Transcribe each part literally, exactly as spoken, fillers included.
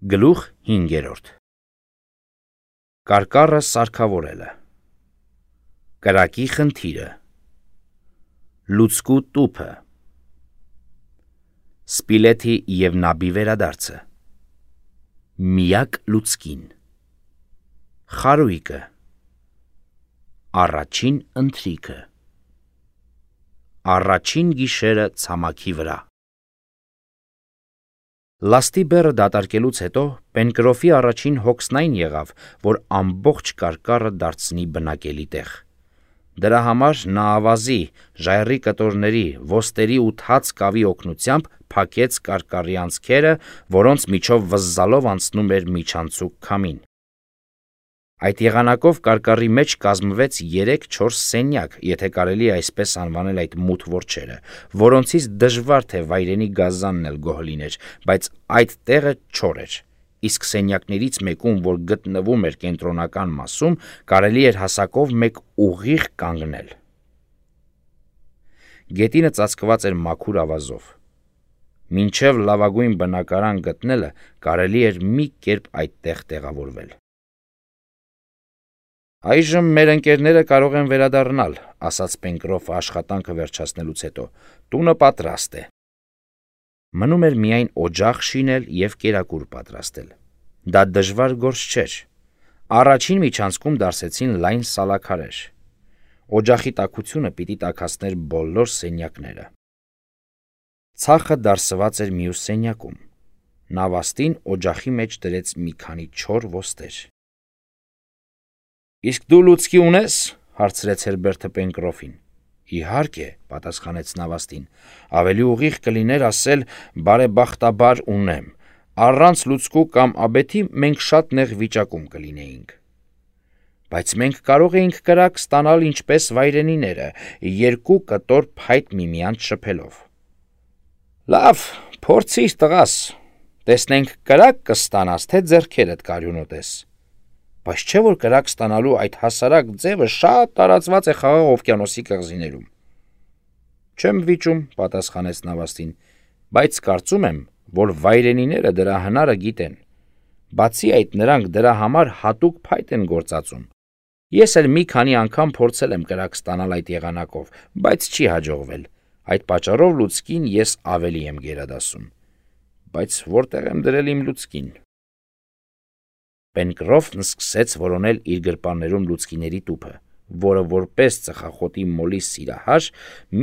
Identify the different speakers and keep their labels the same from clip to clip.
Speaker 1: Գլուխ հինգերորդ Կարկառը սարքավորելը Կրակի խնդիրը Լուցկու տուփը Սպիլեթի և նաբի վերադարձը Միակ լուցկին Խարույկը Առաջին ընթրիքը Առաջին գիշերը ցամաքի վրա Լաստի բեռը դատարկելուց հետո Պենկրոֆի առաջին հոգսն այն եղավ, որ ամբողջ կարկառը դարձնի բնակելի տեղ։ Դրա համար նա ավազի, ժայռի կտորների, ոստերի ու թաց կավի օգնությամբ փակեց կարկառի անցքերը, որոնց միջով վզզալով անցնում էր միջանցիկ քամին։ Այդ եղանակով կարկառի մեջ կազմվեց երեք-չորս սենյակ, եթե կարելի է այսպես անվանել այդ մութ որջերը, որոնցից դժվար թե վայրենի գազանն էլ գոհ լիներ, բայց այդ տեղը չոր էր, իսկ սենյակներից մեկում, որ գտնվում էր կենտրոնական մասում, կարելի էր հասակով մեկ ուղիղ կանգնել։ Գետինը ծածկված էր մաքուր ավազով։ Մինչև լավագույն բնակարան գտնելը կարելի էր մի կերպ այդտեղ տեղավորվել։ Այժմ մեր ընկերները կարող են վերադառնալ, ասաց Պենկրոֆը աշխատանքը վերջացնելուց հետո, տունը պատրաստ է։ Մնում էր միայն օջախ շինել և կերակուր պատրաստել։ Դա դժվար գործ չէր։ Առաջին միջանցքում դարսեցին լայն սալաքարեր։ Օջախի տաքությունը պիտի տաքացներ բոլոր սենյակները։ Ցախը դարսված էր մյուս սենյակում։ Նավաստին օջախի մեջ դրեց մի քանի չոր ոստեր։ Իսկ դու լուցկի ունե՞ս, հարցրեց Հերբերտը Պենկրոֆին։ Իհարկե, պատասխանեց նավաստին, ավելի ուղիղ կլիներ ասել բարեբախտաբար ունեմ, առանց լուցկու կամ աբեթի մենք շատ նեղ վիճակում կլինեինք։ Բայց մենք կարող էինք կրակ ստանալ ինչպես վայրենիները, երկու կտոր փայտ միմյանց շփելով։ Լավ, փորձիր տղաս, տեսնենք կրակ կստանաս, թե ձեռքերդ կարյունոտես։ Բայց չէ՞ որ կրակ ստանալու այդ հասարակ ձևը շատ տարածված է Խաղաղ օվկիանոսի կղզիներում։ Չեմ վիճում, պատասխանեց նավաստին, բայց կարծում եմ, որ վայրենիները դրա հնարը գիտեն։ Բացի այդ, նրանք դրա համար հատուկ փայտ են գործածում։ Ես էլ մի քանի անգամ փորձել եմ կրակ ստանալ այդ եղանակով, բայց չի հաջողվել։ Այդ պատճառով լուցկին ես ավելի եմ գերադասում։ Բայց որտեղ եմ դրել իմ լուցկին։ Պենկրոֆն սկսեց որոնել իր գրպաններում լուցկիների տուփը, որը որպես ծխախոտի մոլի սիրահար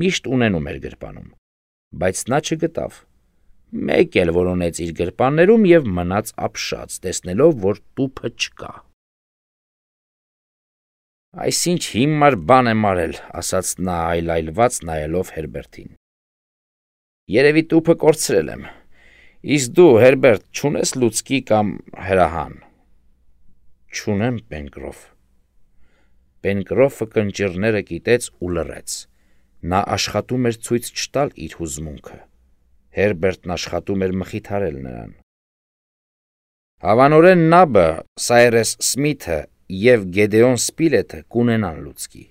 Speaker 1: միշտ ունենում էր գրպանում, բայց նա չգտավ։ Մեկ էլ որոնեց իր գրպաններում և մնաց ապշած, տեսնելով, որ տուփը չկա։ Այսինչ հիմար բան եմ արել, ասաց նա այլայլված նայելով Հերբերտին։ Երևի տուփը կորցրել եմ։ Իսկ դու, Հերբերտ, չունես լուցկի կամ հրահան։ Չունեմ, Պենկրոֆ։ Պենկրոֆը կնճիռները կիտեց ու լռեց։ Նա աշխատում էր ցույց չտալ իր հուզմունքը։ Հերբերտն աշխատում էր մխիթարել նրան։ Հավանորեն նաբը, Սայրես Սմիթը և Գեդեոն Սպիլեթը կունենան լուցկի։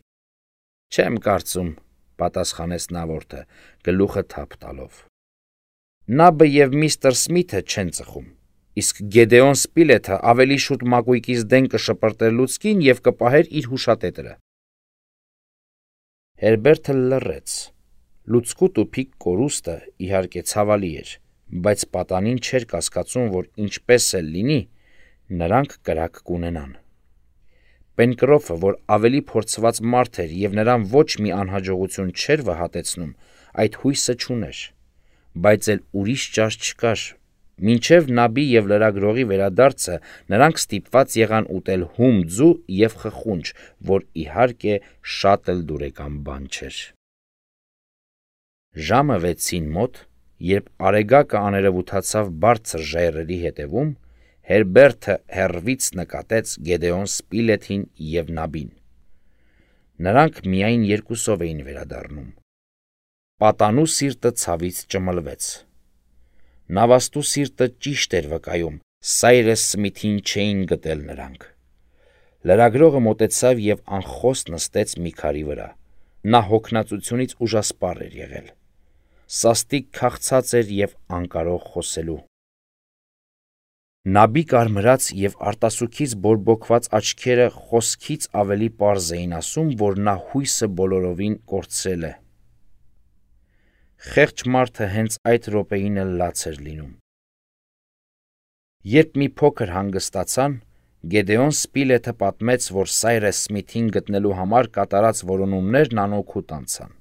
Speaker 1: Չեմ կարծում, պատասխանեց նավորդը, գլուխը թափ տալով։ Նաբը և միստր Սմիթը չեն ծխում, իսկ Գեդեոն Սպիլեթը ավելի շուտ մակույկից դեն կշպրտեր լուցկին և կպահեր իր հուշատետրը։ Հերբերտը լռեց։ Լուցկու տուփի կորուստը, իհարկե, ցավալի էր, բայց պատանին չէր կասկածում, որ ինչպես էլ լինի, նրանք կրակ կունենան։ Պենկրոֆը, որ ավելի փորձված մարդ էր և նրան ոչ մի անհաջողություն չէր վհատեցնում, այդ հույսը չուներ, բայց էլ ուրիշ ճար չկար։ Մինչև նաբի և լրագրողի վերադարձը նրանք ստիպված եղան ուտել հում ձու և խխունջ, որ իհարկե շատ էլ դուրեկան բան չէր։ Ժամը վեցին մոտ, երբ արեգակը աներևութացավ բարձր ժայռերի հետևում, Հերբերտը հեռվից նկատեց Գեդեոն Սպիլեթին և նաբին։ Նրանք միայն երկուսով էին վերադառնում։ Պատանու սիրտը ցավից ճմլվեց։ Նավաստու սիրտը ճիշտ էր վկայում, Սայրես Սմիթին չէին գտել նրանք։ Լրագրողը մոտեցավ և անխոստ նստեց մի քարի վրա։ Նա հոգնածությունից ուժասպառ էր եղել։ Սաստիկ քաղցած էր և անկարող խոսելու։ Նաբի կարմրած և արտասուքից բորբոքված աչքերը խոսքից ավելի պարզ էին ասում, որ նա հույսը բոլորովին կորցրել է։ Խեղճ մարդը հենց այդ րոպեին էլ լաց էր լինում։ Երբ մի փոքր հանգստացան, Գեդեոն Սպիլեթը պատմեց, որ Սայրես Սմիթին գտնելու համար կատարած որոնումներն անօգուտ անցան։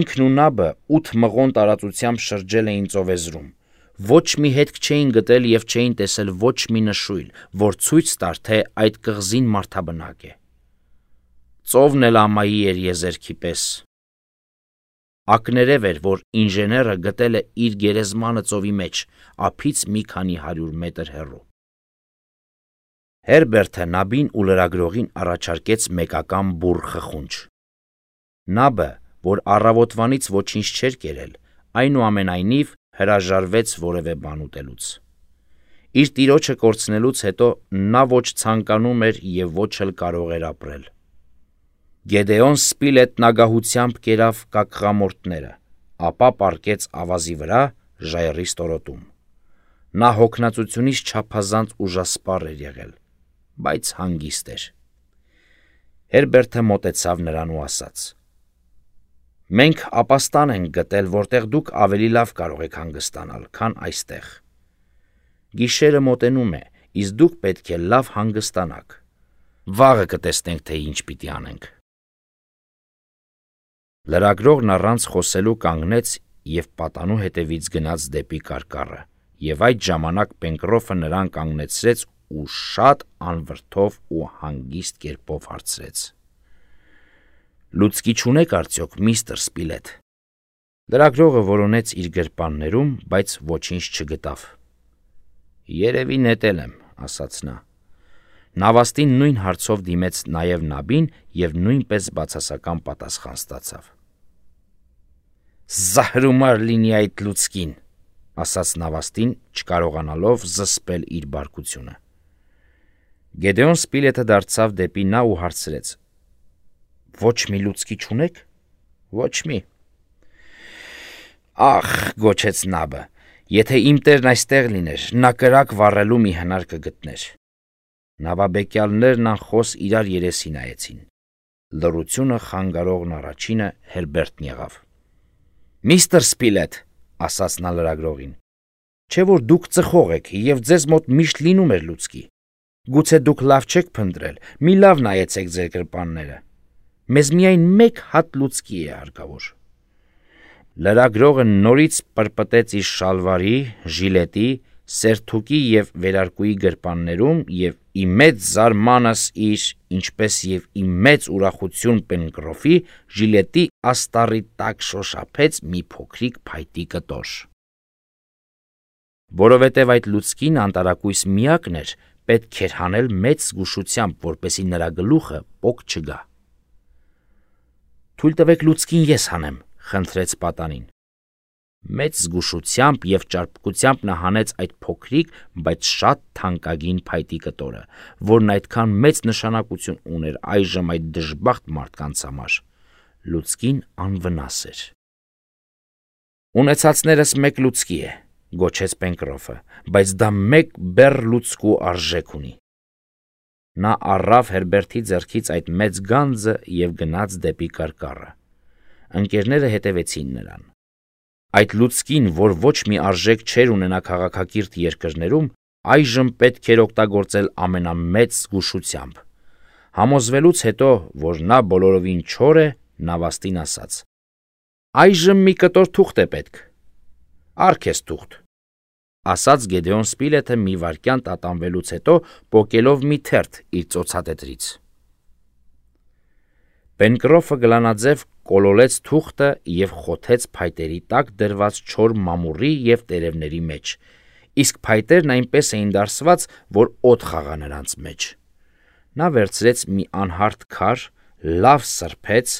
Speaker 1: Ինքն ու Նաբը ութ մղոն տարածությամբ շրջել էին ծովեզրում։ Ոչ մի հետք չէին գտել և չէին տեսել ոչ մի նշույլ, որ ցույց տար, թե այդ կղզին մարդաբնակ է։ Ծովն էլ ամայի էր եզերքի պես։ Ակներև էր, որ ինժեները գտել է իր գերեզմանը ծովի մեջ, ափից մի քանի հարյուր մետր հեռու։ Հերբերտը Նաբին ու լրագրողին առաջարկեց մեկական բուռ խխունջ։ Նաբը, որ առավոտվանից ոչինչ չէր կերել, այնուամենայնիվ հրաժարվեց որևէ բան ուտելուց։ Իր տիրոջը կորցնելուց հետո նա ոչ ցանկանում էր և ոչ էլ կարող էր ապրել։ Գեդեոն Սպիլետն ագահությամբ կերավ կակղամորթները, ապա պառկեց ավազի վրա ժայռի ստորոտում։ Նա հոգնածությունից չափազանց ուժասպառ էր եղել, բայց հանգիստ էր։ Հերբերտը մոտեցավ նրան ու ասաց. «Մենք ապաստան ենք գտել, որտեղ դուք ավելի լավ կարող եք հանգստանալ, քան այստեղ։ Գիշերը մոտենում է, իսկ դուք պետք է լավ հանգստանաք։ Վաղը կտեսնենք, թե ինչ պիտի անենք»։ Լրագրողն առանց խոսելու կանգնեց և պատանու հետևից գնաց դեպի կարկառը, և այդ ժամանակ Պենկրոֆը նրան կանգնեցրեց ու շատ անվրդով ու հանգիստ կերպով հարցրեց. «Լուցկի չունեք արդյոք, միստր Սպիլեթ»։ Լրագրողը որոնեց իր գրպաններում, բայց ոչինչ չգտավ։ «Երևի նետել եմ», ասաց նա։ Նավաստին նույն հարցով դիմեց նաև Նաբին և նույնպես բացասական պատասխան ստացավ։ «Զահրումար լինի այդ լուցկին», ասաց նավաստին, չկարողանալով զսպել իր բարկությունը։ Գեդեոն Սպիլեթը դարձավ դեպի նա ու հարցրեց. «Ոչ մի լուցկի չունեք»։ «Ոչ մի»։ «Ախ», գոչեց Նաբը, «եթե իմ տերն այստեղ լիներ, նա կրակ վառելու մի հնար կգտներ»։ Նավաբեկյալներն անխոս իրար երեսի նայեցին։ Լռությունը խանգարողն առաջինը Հերբերտն եղավ։ «Միստր Սպիլեթ», ասաց նա լրագրողին, «չէ՞ որ դուք ծխող եք և ձեզ մոտ միշտ լինում էր լուցկի։ Գուցե դուք լավ չեք փնտրել, մի լավ նայեցեք ձեր գրպանները։ Մեզ միայն մեկ հատ լուցկի է հարկավոր»։ Լրագրողը նորից պրպտեց իր շալվարի, ժիլետի, սերթուկի և վերարկուի գրպաններում և ի մեծ զարմանս իր, ինչպես և ի մեծ ուրախություն Պենկրոֆի, ժիլետի աստառի տակ շոշափեց մի փոքրիկ փայտի կտոր։ Որովհետև այդ լուցկին անտարակույս միակն էր, պետք էր հանել մեծ զգուշությամբ, որպեսզի նրա գլուխը պոկ չգա։ «Թույլ տվեք լուցկին ես հանեմ», խնդրեց պատանին։ Մեծ զգուշությամբ և ճարպկությամբ նա հանեց այդ փոքրիկ, բայց շատ թանկագին փայտի կտորը, որն այդքան մեծ նշանակություն ուներ այժմ այդ դժբախտ մարդկանց համար։ Լուցկին անվնաս էր։ «Ունեցածներս մեկ լուցկի է», գոչեց Պենկրոֆը, «բայց դա մեկ բեռ լուցկու արժեք ունի»։ Նա առավ Հերբերտի ձեռքից այդ մեծ գանձը և գնաց դեպի կարկառը։ Ընկերները հետևեցին նրան։ Այդ լուցկին, որ ոչ մի արժեք չէր ունենա քաղաքակիրթ երկրներում, այժմ պետք էր օգտագործել ամենամեծ զգուշությամբ։ Համոզվելուց հետո, որ նա բոլորովին չոր է, նավաստին ասաց. «Այժմ մի կտոր թուղթ է պետք»։ «Առ քեզ թուղթ», ասաց Գեդեոն Սպիլեթը մի վայրկյան տատանվելուց հետո, պոկելով մի թերթ իր ծոցատետրից։ Պենկրոֆը գլանաձև կոլոլեց թուղթը և խոթեց փայտերի տակ դրված չոր մամուռի և տերևների մեջ, իսկ փայտերն այնպես էին դարսված, որ օդ խաղա նրանց մեջ։ Նա վերցրեց մի անհարթ քար, լավ սրբեց,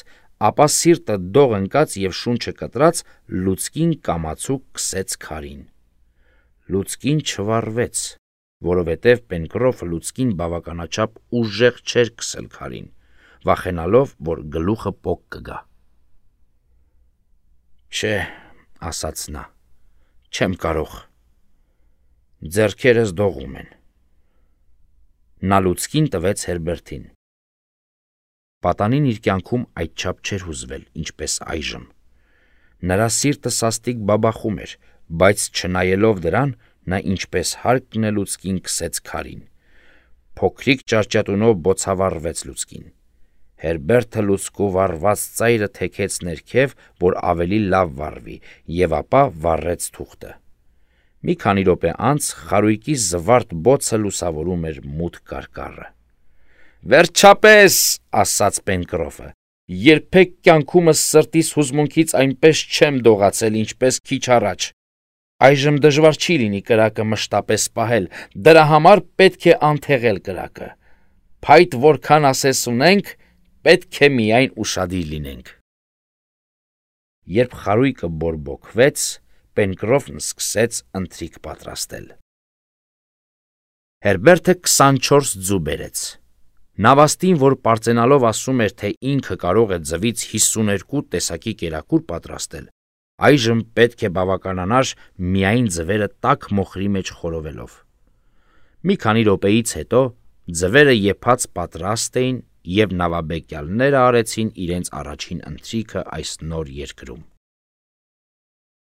Speaker 1: ապա սիրտը դող ընկած և շունչը կտրած լուցկին կամացուկ քսեց քարին։ Լուցկին չվառվեց, որովհետև Պենկրոֆը լուցկին բավականաչափ ուժեղ չէր քսել քարին, վախենալով, որ գլուխը պոկ կգա։ «Չէ», ասաց նա, «չեմ կարող»։ ձեռքերս դողում են։ Նա լուցկին տվեց Հերբերտին։ Պատանին իր կյանքում այդչափ չէր հուզվել, ինչպես այժմ։ Նրա սիրտը սաստիկ բաբախում էր, բայց չնայելով դրան, նա ինչպես հարկն է լուցկին քսեց քարին։ Փոքրիկ ճարճատունով բոցավառվեց լուցկին։ Հերբերտը լուցկու վառված ծայրը թեքեց ներքև, որ ավելի լավ վառվի, եւ ապա վառեց թուղթը։ Մի քանի րոպե անց խարույկի զվարթ բոցը լուսավորում էր մութ կարկառը։ «Վերջապես», ասաց Պենկրոֆը, «երբեք կյանքումս սրտիս հուզմունքից այնպես չեմ դողացել, ինչպես քիչ առաջ։ Այժմ դժվար չի լինի կրակը մշտապես պահել, դրա համար պետք է անթեղել կրակը։ Փայտ որքան ասես ունենք, պետք է միայն ուշադիր լինենք»։ Երբ խարույկը բորբոքվեց, Պենկրոֆն սկսեց ընթրիք պատրաստել։ Հերբերտը քսանչորս ձու բերեց։ Նավաստին, որ պարծենալով ասում էր, թե ինքը կարող է ձվից հիսուներկու տեսակի կերակուր պատրաստել, այժմ պետք է բավականանար միայն ձվերը տաք մոխրի մեջ խորովելով։ Մի քանի րոպեից հետո ձվերը եփած պատրաստ էին, եւ նավաբեկյալները արեցին իրենց առաջին ընթրիքը այս նոր երկրում։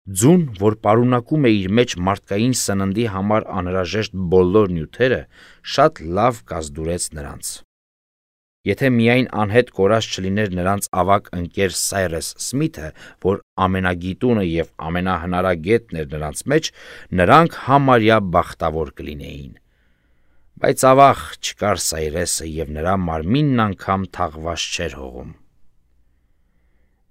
Speaker 1: Ձուն, որ պարունակում է իր մեջ մարդկային սննդի համար անհրաժեշտ բոլոր նյութերը, շատ լավ կազդուրեց նրանց։ Եթե միայն անհետ կորած չլիներ նրանց ավագ ընկեր Սայրես Սմիթը, որ ամենագիտունը եւ ամենահնարագետն էր նրանց մեջ, նրանք համարյա բախտավոր կլինեին։ Բայց ավաղ չկար Սայրեսը եւ նրա մարմինն անգամ թաղված չէր հողում։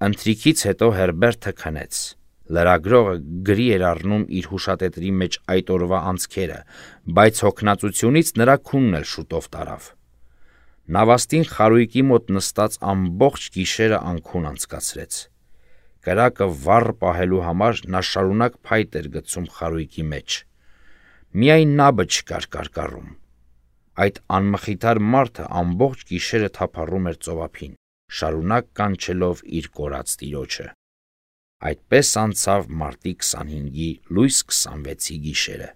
Speaker 1: Ընթրիքից հետո Հերբերտը քնեց։ Լրագրողը գրի էր առնում իր հուշատետրի մեջ այդ օրվա անցքերը, բայց հոգնածությունից նրա քունն էլ շուտով տարավ։ Նավաստին խարույկի մոտ նստած ամբողջ գիշերը անքուն անցկացրեց։ Կրակը վառ պահելու համար նա շարունակ փայտ էր գցում խարույկի մեջ։ Միայն նաբը չկար կարկառում։ Այդ անմխիթար մարդը ամբողջ գիշերը թափառում էր ծովափին, շարունակ կանչելով իր կորած տիրոջը։ Այդպես անցավ մարտի քսանհինգի լույս քսանվեցի գիշերը։